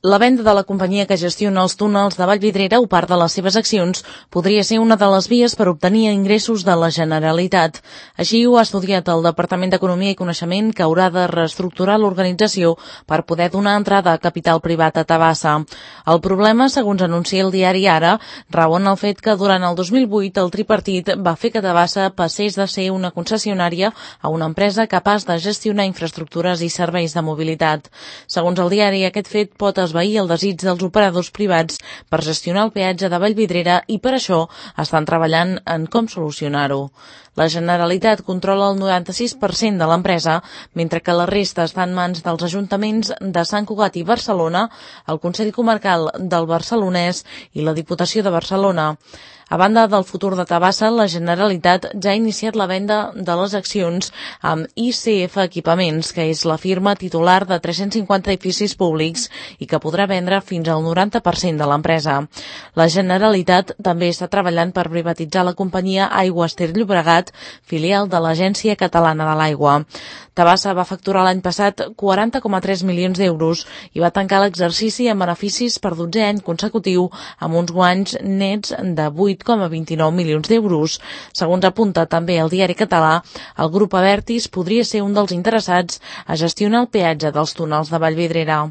La venda de la companyia que gestiona els túnels de Vallvidrera o part de les seves accions podria ser una de les vies per obtenir ingressos de la Generalitat. Així ho ha estudiat el Departament d'Economia i Coneixement, que haurà de reestructurar l'organització per poder donar entrada a capital privat a Tabasa. El problema, segons anuncia el diari Ara, rau en el fet que durant el 2008 el tripartit va fer que Tabasa passés de ser una concessionària a una empresa capaç de gestionar infraestructures i serveis de mobilitat. Segons el diari, aquest fet pot esvair el desig dels operadors privats per gestionar el peatge de Vallvidrera i per això estan treballant en com solucionar-ho. La Generalitat controla el 96% de l'empresa, mentre que la resta està en mans dels ajuntaments de Sant Cugat i Barcelona, el Consell Comarcal del Barcelonès i la Diputació de Barcelona. A banda del futur de Tabasa, la Generalitat ja ha iniciat la venda de les accions amb ICF Equipaments, que és la firma titular de 350 edificis públics i que podrà vendre fins al 90% de l'empresa. La Generalitat també està treballant per privatitzar la companyia Aigües Ter Llobregat, filial de l'Agència Catalana de l'Aigua. Tabasa va facturar l'any passat 40,3 milions d'euros i va tancar l'exercici amb beneficis per 12è any consecutiu amb uns guanys nets de 8,29 milions d'euros. Segons apunta també el diari català, el grup Abertis podria ser un dels interessats a gestionar el peatge dels túnels de Vallvidrera.